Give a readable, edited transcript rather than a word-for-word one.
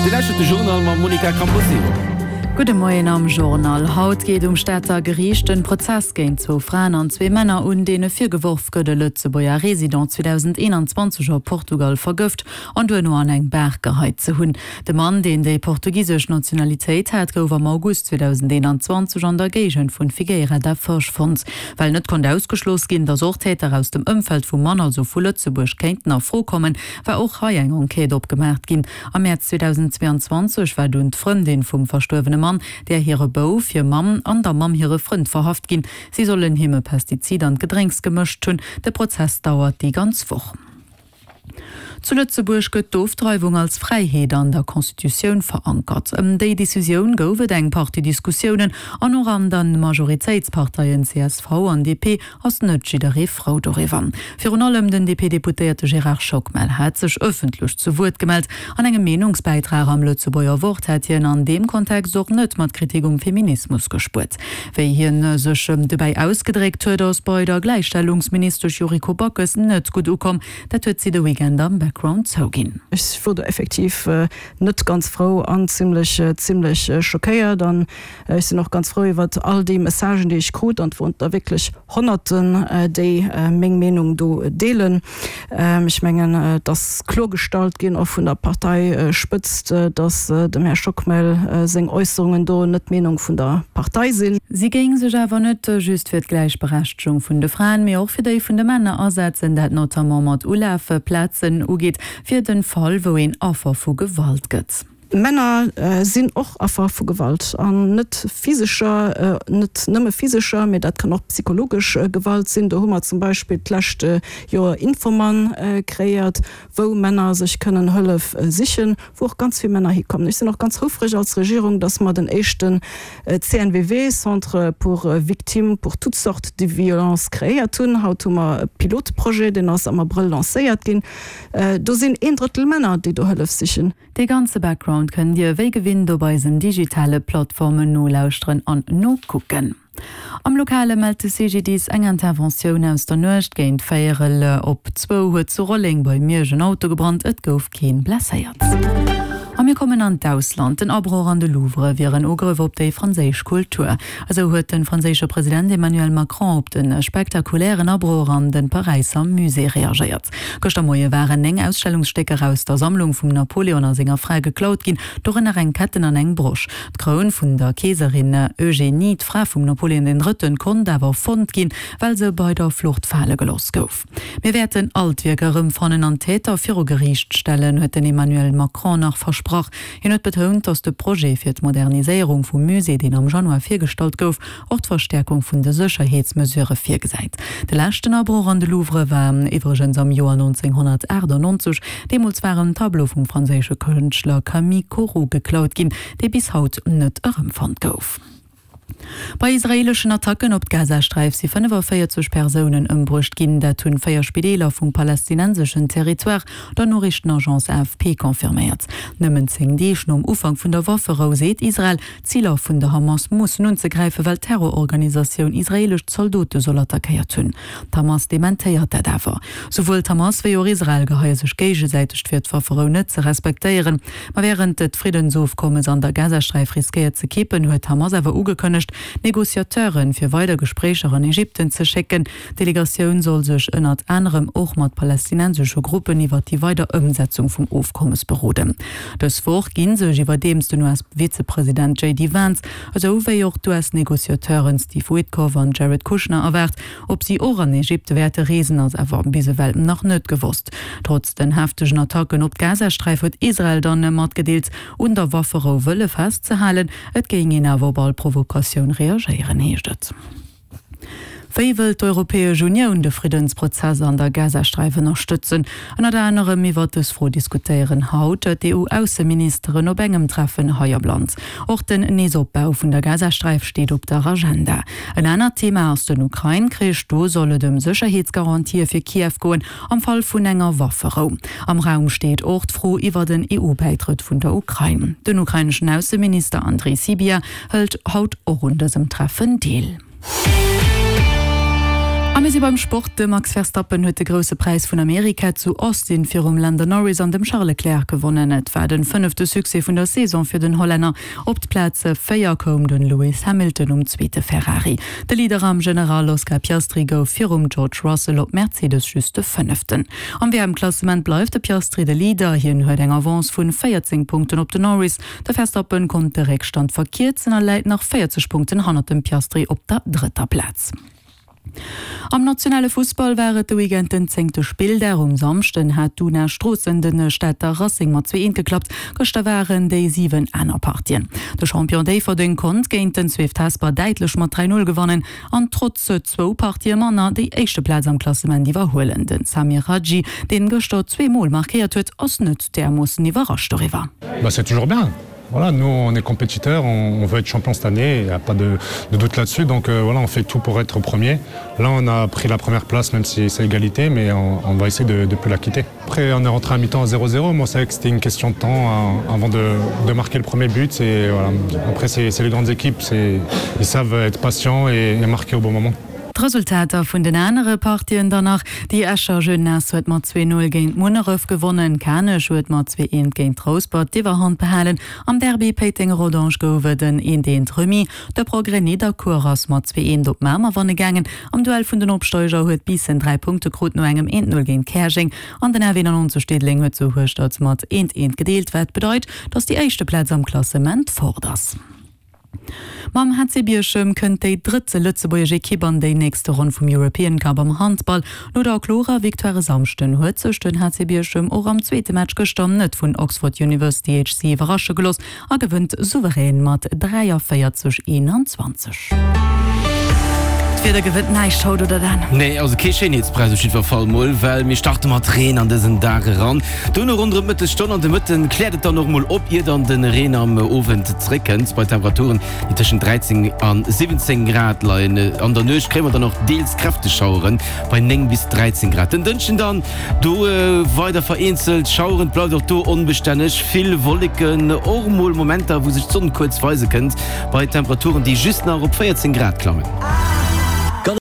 Dir lauschtert de Journal mam Monica Camposeo. Gudde Moien am Journal. Haut geet um Stater Geriicht en Prozess géint zwou Fraen an zwee Männer un, deene virgeworf gëtt, e Lëtzebuerger Resident 2021 a Portugal vergëft an duerno an eng Baach geheit ze hunn. De Mann, deen déi portugisesch Nationalitéit hat, gouf am August 2021 an der Géigend vun Figueira da Foz fonnt. Well net konnt ausgeschloss ginn, datt och Täter aus dem Ëmfeld vum Mann, also vu Lëtzebuerg, kéinten a Fro kommen, war och hei eng Enquête opgemaacht ginn. Am Mäerz 2022 war dunn d'Frëndin vum verstuerwene Mann, där hire Bouf, hir Mamm an der Mamm hire Frënd verhaft ginn. Si sollen him e Pestizid an d'Gedrénks gemëscht hunn. De Prozess dauert déi ganz Woch. Zu Lëtzebuerg gëtt d'Ofdreiwung als Fräiheet an der Constitutioun verankert. Ëm déi Decisioun gouf et eng Partie Diskussiounen an och an de Majoritéitsparteien csv an DP ass net jidderee frou doriwwer. Virun allem den DP-Deputéierte Gérard Schockmel hat sech ëffentlech zu Wuert gemellt. An engem Meenungsbäitrag am Lëtzebuerger Wort hätt hien an deem Kontext och net mat Kritik um Feminismus gespuert. Wéi hien sech dobäi ausgedréckt huet, ass bei der Gläichstellungsministesch Yuriko Backes net gutt ukomm. Dat huet si de Weekend am Background zouginn. Ech wor do effektiv net ganz frou an zimlech, zimlech schockéiert. An ech sinn och ganz frou iwwert all déi Messagen, déi ech krut, an et woren der wierklech Honnerten, déi meng Meenung do deelen. Ech mengen, et ass kloergestallt ginn, och vun der Parteispëtzt, datt dem Här Schockmel seng Äusserungen do net d'Meenung vun der Partei sinn. Si géing sech awer net just fir d'Gläichberechtegung vun de Fraen, mee och fir déi vun de Männer asetzen, dat notamment mat Ulafplazen ugeet, fir den Fall, wou een Affer vu Gewalt gëtt. Männer sinn och Affer vu Gewalt, an net physescher, net nëmme physescher, mee dat kann och psychologesch Gewalt sinn. Do hu mer zum Beispill d'lescht Joer Infomann kreéiert, wou Männer sech kënnen Hëllef sichen, wou och ganz vill Männer hikommen. Ech sinn och ganz houfreg als Regierung, dass mer den éischten CNVV, Centre pour victimes pour toutes sortes de violences, kreéiert hunn. Haut hu mer e Pilotprojet, deen ass am Abrëll lancéiert ginn. Do sinn een Drëttel Männer, déi do Hëllef sichen. Dee ganze Background kënnt Dir wéi gewinnt op eisen digitale Plattformen nolauschteren an nokucken. Am Lokale mellt de CGDIS eng Interventioun aus der Nuecht. Géint véierel op zwou huet zu Rolleng bei Miersch en Auto gebrannt, et gouf keen blesséiert. A mir kommen an d'Ausland. Den Abroch an de Louvre wier en Ugrëff op déi franséisch Kultur. Esou huet de franséische President Emmanuel Macron op de spektakulären Abroch an de Paräisser Musée reagéiert. Gëschter Moie waren 9 Ausstellungsstécker aus der Sammlung vum Napoleon a senger Fra geklaut ginn, dorënner eng Ketten an eng Brosch. D'Kroun vun der Keeserin Eugénie, d'Fra vum Napoleon den Drëtten, konnt awer fonnt ginn, well se bei der Flucht fale gelooss gouf. Mir wäerten all d'Wierker erëmfannen an d'Täter viru Geriicht stellen, huet den Emmanuel Macron nach versprach. Hien huet betount, datt de Projet fir d'Moderniséierung vum Musée, deen am Januar virgestallt gouf, och d'Verstäerkung vun de Sécherheetsmesurë virgesäit. De leschten Abroch an de Louvre war iwwregens am Joer 1998. Deemools war en Tableau vum franséische Kënschtler Camille Corot geklaut ginn, dee bis haut net erëmfonnt gouf. Bei israeeleschen Attacken op d'Gazasträif si 45 Persounen ëmbruecht ginn. Dat hunn 4 Spideeler vum palästinenseschen Territoire der Noriichtenagence AFP confirméiert. Nëmmen 10 Deeg nom Ufank vun der Wafferou seet Israel, Ziler vun der Hamas mussen unzegräifen, well d'Terrororganisatioun israeelesch Zaldote soll attackéiert hunn. D'Hamas dementéiert dat awer. Souwuel d'Hamas wéi och Israel geheie sech géigesäiteg fir, d'Wafferou net ze respektéieren. Ma wärend d'Friddensofkommes an der Gazasträif riskéiert ze kippen, huet d'Hamas awer ugekënnegt, Negociateure fir weider Gespréicher an Ägypten ze schécken. D'Delegatioun soll sech ënnert anerem och mat palästinensesche Gruppen iwwer déi weider Ëmsetzung vum Ofkommes beroden. Dës Woch gi sech iwwerdeems den US-Vizepresident JD Vance, esou wéi och d'US-Negociateuren Steve Witkoff an Jared Kushner erwaart. Ob si och an Ägypte wäerte reesen, ass awer bis ewell nach net gewosst. Trotz den heftegen Attacken op d'Gazasträif huet Israel dann matgedeelt, un der Wafferou wëlle festzehalen. Et géing een awer op all Provokatioun reagéieren, heescht et. Wéi wëllt d'Europäesch Unioun de Friddensprozess an der Gazasträif ënnerstëtzen? Ënnert anerem iwwert dës Fro diskutéieren haut d'EU-Ausseministeren op engem Treffen hei am Land. Och den Neesopbau vun der Gazasträif steet op der Agenda. En anert Thema ass den Ukrain-Krich. Do soll et ëm Sécherheetsgarantië fir Kiew goen am Fall vun enger Wafferou. Am Raum steet och d'Fro iwwert en EU-Bäitrëtt vun der Ukrain. Den ukraineschen Ausseminister Andrii Sybiha hëlt haut och un dësem Treffen deel. A mir sinn. si beim Sport, De Max Verstappen huet de Grousse Präis vun Amerika zu Austin virum Lando Norris an dem Charles Leclerc gewonnen. Et war de fënnefte Succès vun der Saison fir den Hollänner. Op d'Plaz 4 koum de Lewis Hamilton um zweete Ferrari. De Leader am General Oscar Piastri gouf virum George Russell op Mercedes just de Fënneften. Am WM-Klassement bleift de Piastri de Leader, hien huet eng Avance vun 14 Punkten op den Norris. De Verstappen konnt de Réckstand verkierzen a läit nach 40 Punkten hannert dem Piastri op der drëtter Plaz. Am nationale Fussball war et de Weekend den zéngte Spilldag. Um Samschden hat d'Una Stroossen de Stater Racing mat 2, 1 geklappt. Gëschter waren déi 7 aner Partien. De Champion Déifferdeng konnt géint den Swift Hesper däitlech mat 3, 0 gewannen an trotz zwou Partië manner déi éischte Plaz am Klassement iwwerhuelen. Den Samir Hadji, deen gëschter zweemol markéiert huet, ass net därmoossen iwwerrascht doriwwer. Bah c'est toujours bien. Voilà, nous on est compétiteur, on, on veut être champion cette année, il n'y a pas de, de doute là-dessus. Donc euh, voilà, on fait tout pour être premier. Là on a pris la première place même si c'est égalité, mais on, on va essayer de, de plus la quitter. Après on est rentré à mi-temps à 0-0, moi savais que c'était une question de temps hein, avant de, de marquer le premier but et voilà. Après c'est les grandes équipes, ils savent être patients et, et marquer au bon moment. D'Resultater vun den anere Partien dann nach, Déi Escher Jeunesse huet mat 2, 0 géint Munneref gewonnen, Kanech huet mat 2, 1 géint Rouspert d'Iwwerhand behalen. Am Derby Péiteng-Rodange gouf et en 1, 1 Remis. De Progrès Nidderkuer ass mat 2, 1 op Mamer wanne gaangen. Am Duell vun den Opsteiger huet Biissen 3 Punkte krut no engem 1, 0 géint Käerjeng an den F91 Diddeleng huet zu Hueschtert mat 1, 1 gedeelt, wat bedeit, datt déi éischte Plaz am Klassement fort ass. Mam HC Bierchem kënnt déi drëtt lëtzebuergesch Ekipp an déi nächste Ronn vum European Cup am Handball. No der klorer Victoire e Samschden huet sech den HC Bierchem och am zweete Match gëschter net vun Oxford University HC iwwerrasche gelooss a gewënnt souverän mat 43, 21. D'Wieder gewënnt näischt haut, oder Dan? Nee, also kee Schéinheetspräis op jiddwer Fall mol, well mir starte mat Reen an dësen Dag eran. Dono ronderëm d'Mëttesstonn an de Mëtten kläert et dann och mol op, ier dann de Reen am Owend zeréckkënnt bei Temperaturen, déi tëschent 13 an 17 Grad leien. An der Nuecht kréie mer dann och deels kräfteg Schauere bei 9 bis 13 Grad. Den Dënschden dann, do weider vereenzelt Schaueren, et bleift och do onbestänneg, vill Wolleken, och mol Momenter, wou sech d'Sonn kuerz weise kënnt, bei Temperaturen, déi just nach op 14 Grad klammen.